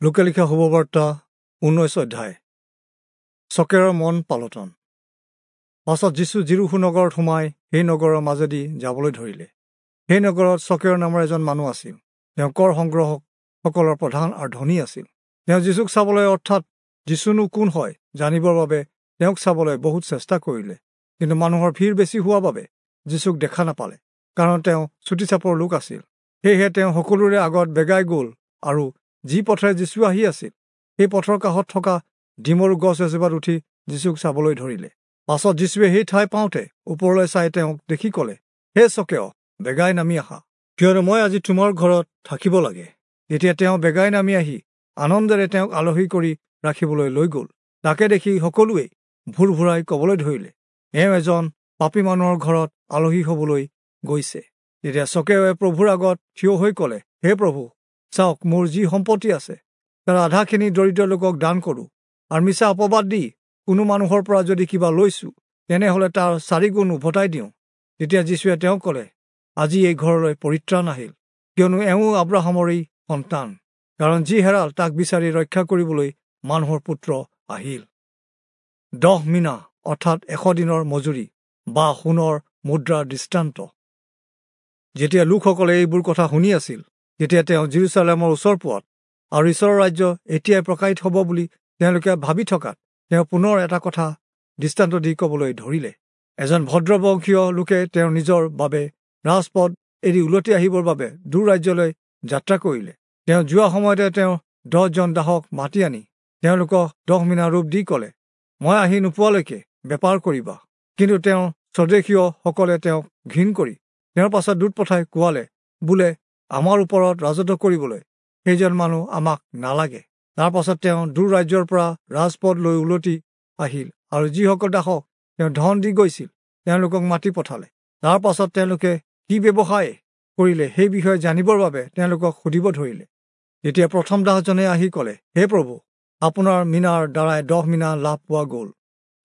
লূকা লিখা শুভবাৰ্তা 19 অধ্যায়। চকেৰৰ মন পালটন। পাছত যীচু যিৰূহো নগৰত সোমাই সেই নগৰৰ মাজেদি যাবলৈ ধৰিলে। সেই নগৰত চকেৰ নামৰ এজন মানুহ আছিল। তেওঁ কৰ সংগ্ৰহকসকলৰ প্ৰধান আৰু ধনী আছিল। তেওঁ যীচুক চাবলৈ, অৰ্থাৎ যীচুনো কোন হয় জানিবৰ বাবে তেওঁক চাবলৈ বহুত চেষ্টা কৰিলে। কিন্তু মানুহৰ ভিৰ বেছি হোৱা বাবে যীচুক দেখা নাপালে, কাৰণ তেওঁ চুটি চাপৰ লোক আছিল। সেয়েহে তেওঁ সকলোৰে আগত বেগাই গ'ল আৰু যি পথেৰে যীচু আহি আছিল সেই পথৰ কাষত থকা ডিমৰু গছ এজোপাত উঠি যীচুক চাবলৈ ধৰিলে। পাছত যীচুৱে সেই ঠাই পাওঁতে ওপৰলৈ চাই তেওঁক দেখি ক'লে, হে চকেয়, বেগাই নামি আহা, কিয়নো মই আজি তোমাৰ ঘৰত থাকিব লাগে। তেতিয়া তেওঁ বেগাই নামি আহি আনন্দেৰে তেওঁক আলহী কৰি ৰাখিবলৈ লৈ গ'ল। তাকে দেখি সকলোৱেই ভুৰ ভুৰাই ক'বলৈ ধৰিলে, এওঁ এজন পাপী মানুহৰ ঘৰত আলহী হ'বলৈ গৈছে। তেতিয়া চকেয়ে প্ৰভুৰ আগত থিয় হৈ ক'লে, হে প্ৰভু, চাওক, মোৰ যি সম্পত্তি আছে তাৰ আধাখিনি দৰিদ্ৰ লোকক দান কৰোঁ, আৰু মিছা অপবাদ দি কোনো মানুহৰ পৰা যদি কিবা লৈছোঁ, তেনেহ'লে তাৰ 4 গুণ উভতাই দিওঁ। তেতিয়া যীচুৱে তেওঁক ক'লে, আজি এই ঘৰলৈ পৰিত্ৰাণ আহিল, কিয়নো এওঁ আব্ৰাহামৰেই সন্তান। কাৰণ যি হেৰাল তাক বিচাৰি ৰক্ষা কৰিবলৈ মানুহৰ পুত্ৰ আহিল। 10 মিনা অৰ্থাৎ 100 দিনৰ মজুৰি বা সোণৰ মুদ্ৰাৰ দৃষ্টান্ত। যেতিয়া লোকসকলে এইবোৰ কথা শুনি আছিল, তেতিয়া তেওঁ যিৰূচালেমৰ ওচৰ পোৱাত আৰু ঈশ্বৰৰ ৰাজ্য এতিয়াই প্ৰকাশিত হ'ব বুলি তেওঁলোকে ভাবি থকাত তেওঁ পুনৰ এটা কথা দৃষ্টান্ত দি ক'বলৈ ধৰিলে। এজন ভদ্ৰবংশীয় লোকে তেওঁৰ নিজৰ বাবে ৰাজপথ এৰি উলটি আহিবৰ বাবে দূৰ ৰাজ্যলৈ যাত্ৰা কৰিলে। তেওঁ যোৱা সময়তে তেওঁ 10 জন দাসক মাতি আনি তেওঁলোকক 10 মিনা ৰূপ দি ক'লে, মই আহি নোপোৱালৈকে বেপাৰ কৰিবা। কিন্তু তেওঁ স্বদেশীয়সকলে তেওঁক ঘিণ কৰি তেওঁৰ পাছত দূত পঠাই কোৱালে, বোলে, আমাৰ ওপৰত ৰাজত্ব কৰিবলৈ সেইজন মানুহ আমাক নালাগে। তাৰ পাছত তেওঁ দূৰ ৰাজ্যৰ পৰা ৰাজপথ লৈ উলটি আহিল আৰু যিসকল দাসক তেওঁ ধন দি গৈছিল তেওঁলোকক মাতি পঠালে। তাৰ পাছত তেওঁলোকে কি ব্যৱসায় কৰিলে সেই বিষয়ে জানিবৰ বাবে তেওঁলোকক সুধিব ধৰিলে। তেতিয়া প্ৰথম দাসজনে আহি ক'লে, হে প্ৰভু, আপোনাৰ মিনাৰ দ্বাৰাই 10 মিনা লাভ পোৱা গ'ল।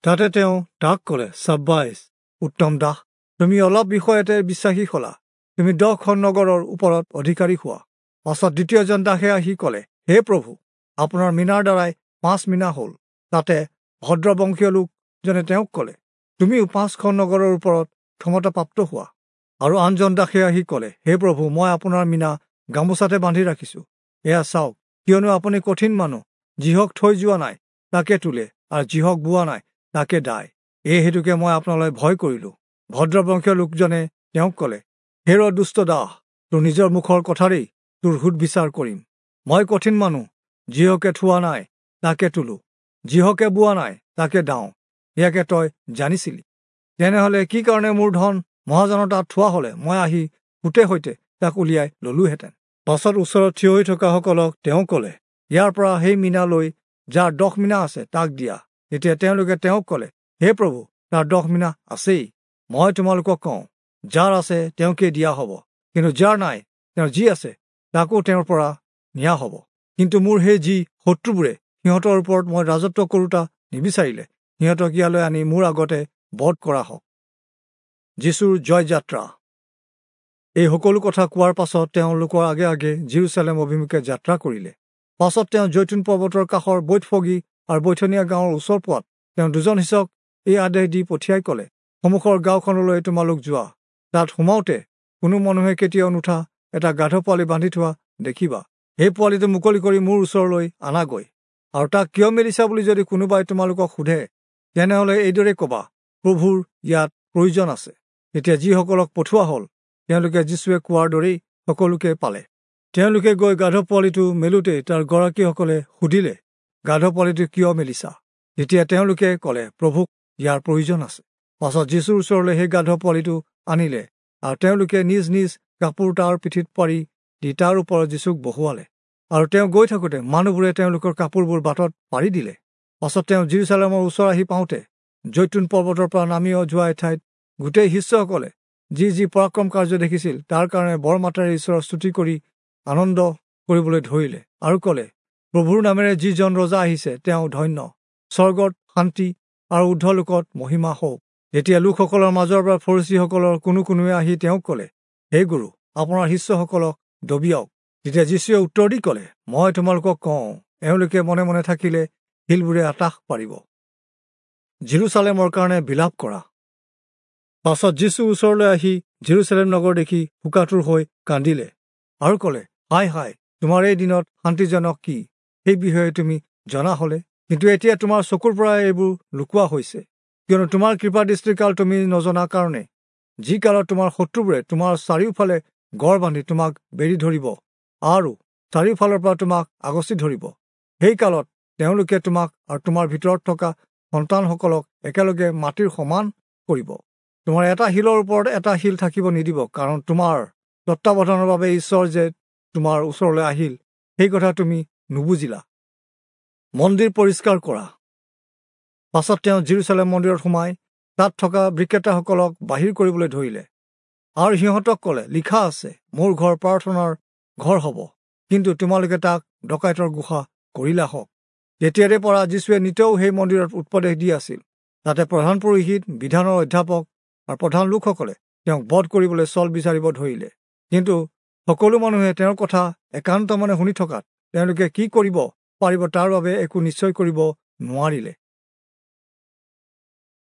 তাতে তেওঁ তাক ক'লে, চাব্বাইছ, উত্তম দাস, তুমি অলপ বিষয়তে বিশ্বাসী হ'লা, তুমি 10খন নগৰৰ ওপৰত অধিকাৰী হোৱা। পাছত দ্বিতীয়জন দাসে আহি ক'লে, হে প্ৰভু, আপোনাৰ মিনাৰ দ্বাৰাই 5 মিনা হ'ল। তাতে ভদ্ৰবংশীয় লোকজনে তেওঁক ক'লে, তুমিও 5খন নগৰৰ ওপৰত ক্ষমতাপ্ৰাপ্ত হোৱা। আৰু আনজন দাসে আহি ক'লে, হে প্ৰভু, মই আপোনাৰ মিনা গামোচাতে বান্ধি ৰাখিছোঁ, এয়া চাওক, কিয়নো আপুনি কঠিন মানুহ, যিহক থৈ যোৱা নাই তাকে তোলে, আৰু যিহক বোৱা নাই তাকে দায়। এই হেতুকে মই আপোনালৈ ভয় কৰিলোঁ। ভদ্ৰবংশীয় লোকজনে তেওঁক ক'লে, হেৰ দুষ্ট দাস, তোৰ নিজৰ মুখৰ কথাৰেই তোৰ সোধ বিচাৰ কৰিম। মই কঠিন মানুহ, যিহকে থোৱা নাই তাকে তোলো, যিহকে বোৱা নাই তাকে দাওঁ, ইয়াকে তই জানিছিলি। তেনেহ'লে কি কাৰণে মোৰ ধন মহাজনৰ তাত থোৱা হ'লে মই আহি সুতে সৈতে তাক উলিয়াই ললোহেঁতেন। পাছত ওচৰত থিয় হৈ থকাসকলক তেওঁ ক'লে, ইয়াৰ পৰা সেই মিনা লৈ যাৰ 10 মিনা আছে তাক দিয়া। তেতিয়া তেওঁলোকে তেওঁক ক'লে, হে প্ৰভু, তাৰ 10 মিনা আছেই। মই তোমালোকক কওঁ, যাৰ আছে তেওঁকে দিয়া হ'ব, কিন্তু যাৰ নাই তেওঁৰ যি আছে তাকো তেওঁৰ পৰা নিয়া হ'ব। কিন্তু মোৰ সেই যি শত্ৰুবোৰে সিহঁতৰ ওপৰত মই ৰাজত্ব কৰোঁতা নিবিচাৰিলে, সিহঁতক ইয়ালৈ আনি মোৰ আগতে বধ কৰা হওক। যীচুৰ জয়যাত্ৰা। এই সকলো কথা কোৱাৰ পাছত তেওঁলোকৰ আগে আগে যিৰূচালেম অভিমুখে যাত্ৰা কৰিলে। পাছত তেওঁ জৈতুন পৰ্বতৰ কাষৰ বৈতফগী আৰু বৈথনিয়া গাঁৱৰ ওচৰ পোৱাত তেওঁ 2জন শিষ্যক এই আদেশ দি পঠিয়াই ক'লে, সন্মুখৰ গাঁওখনলৈ তোমালোক যোৱা, তাত সোমাওঁতে কোনো মানুহে কেতিয়াও নুঠা এটা গাধ পোৱালি বান্ধি থোৱা দেখিবা। সেই পোৱালিটো মুকলি কৰি মোৰ ওচৰলৈ আনাগৈ, আৰু তাক কিয় মেলিছা বুলি যদি কোনোবাই তোমালোকক সোধে, তেনেহ'লে এইদৰে ক'বা, প্ৰভুৰ ইয়াত প্ৰয়োজন আছে। তেতিয়া যিসকলক পঠোৱা হ'ল তেওঁলোকে যীচুৱে কোৱাৰ দৰেই সকলোকে পালে। তেওঁলোকে গৈ গাধ পোৱালিটো মেলোতেই তাৰ গৰাকীসকলে সুধিলে, গাধ পোৱালিটো কিয় মেলিছা? তেতিয়া তেওঁলোকে ক'লে, প্ৰভুক ইয়াৰ প্ৰয়োজন আছে। পাছত যীচুৰ ওচৰলৈ সেই গাধ পোৱালিটো আনিলে, আৰু তেওঁলোকে নিজ নিজ কাপোৰ তাৰ পিঠিত পাৰি দি তাৰ ওপৰত যীচুক বহুৱালে। আৰু তেওঁ গৈ থাকোঁতে মানুহবোৰে তেওঁলোকৰ কাপোৰবোৰ বাটত পাৰি দিলে। পাছত তেওঁ যিৰূচালেমৰ ওচৰ আহি পাওঁতে জৈতুন পৰ্বতৰ পৰা নামি যোৱা এঠাইত গোটেই শিষ্যসকলে যি যি পৰাক্ৰম কাৰ্য দেখিছিল তাৰ কাৰণে বৰ মাতেৰে ঈশ্বৰৰ স্তুতি কৰি আনন্দ কৰিবলৈ ধৰিলে আৰু ক'লে, প্ৰভুৰ নামেৰে যিজন ৰজা আহিছে তেওঁ ধন্য, স্বৰ্গত শান্তি আৰু ঊৰ্ধ্বলোকত মহিমা হওক। তেতিয়া লোকসকলৰ মাজৰ পৰা ফৰীচীসকলৰ কোনো কোনোৱে আহি তেওঁক ক'লে, হে গুৰু, আপোনাৰ শিষ্যসকলক দবিয়াওক। তেতিয়া যীচুৱে উত্তৰ দি ক'লে, মই তোমালোকক কওঁ, এওঁলোকে মনে মনে থাকিলে শিলবোৰে আটাহ পাৰিব। জিৰচালেমৰ কাৰণে বিলাপ কৰা। পাছত যীচু ওচৰলৈ আহি জিৰচালেম নগৰ দেখি শোকাতুৰ হৈ কান্দিলে আৰু ক'লে, হায় হায়, তোমাৰ এই দিনত শান্তিজনক কি সেই বিষয়ে তুমি জনা হলে, কিন্তু এতিয়া তোমাৰ চকুৰ পৰা এইবোৰ লুকোৱা হৈছে। কিয়নো তোমাৰ কৃপা দৃষ্টিকাল তুমি নজনা কাৰণে যি কালত তোমাৰ শত্ৰুবোৰে তোমাৰ চাৰিওফালে গড় বান্ধি তোমাক বেৰি ধৰিব আৰু চাৰিওফালৰ পৰা তোমাক আগচি ধৰিব, সেই কালত তেওঁলোকে তোমাক আৰু তোমাৰ ভিতৰত থকা সন্তানসকলক একেলগে মাটিৰ সমান কৰিব। তোমাৰ এটা শিলৰ ওপৰত এটা শিল থাকিব নিদিব, কাৰণ তোমাৰ তত্বাৱধানৰ বাবে ঈশ্বৰ যে তোমাৰ ওচৰলৈ আহিল সেই কথা তুমি নুবুজিলা। মন্দিৰ পৰিষ্কাৰ কৰা। পাছত তেওঁ জিৰচালেম মন্দিৰত সোমাই তাত থকা বিক্ৰেতাসকলক বাহিৰ কৰিবলৈ ধৰিলে আৰু সিহঁতক ক'লে, লিখা আছে, মোৰ ঘৰ প্ৰাৰ্থনাৰ ঘৰ হ'ব, কিন্তু তোমালোকে তাক ডকাইতৰ গুহা কৰিলা হওক। তেতিয়াৰে পৰা যীশুৱে নিতৌ সেই মন্দিৰত উপদেশ দি আছিল। তাতে প্ৰধান পুৰোহিত, বিধানৰ অধ্যাপক আৰু প্ৰধান লোকসকলে তেওঁক বধ কৰিবলৈ চল বিচাৰিব ধৰিলে। কিন্তু সকলো মানুহে তেওঁৰ কথা একান্ত মনে শুনি থকাত তেওঁলোকে কি কৰিব পাৰিব তাৰ বাবে একো নিশ্চয় কৰিব নোৱাৰিলে।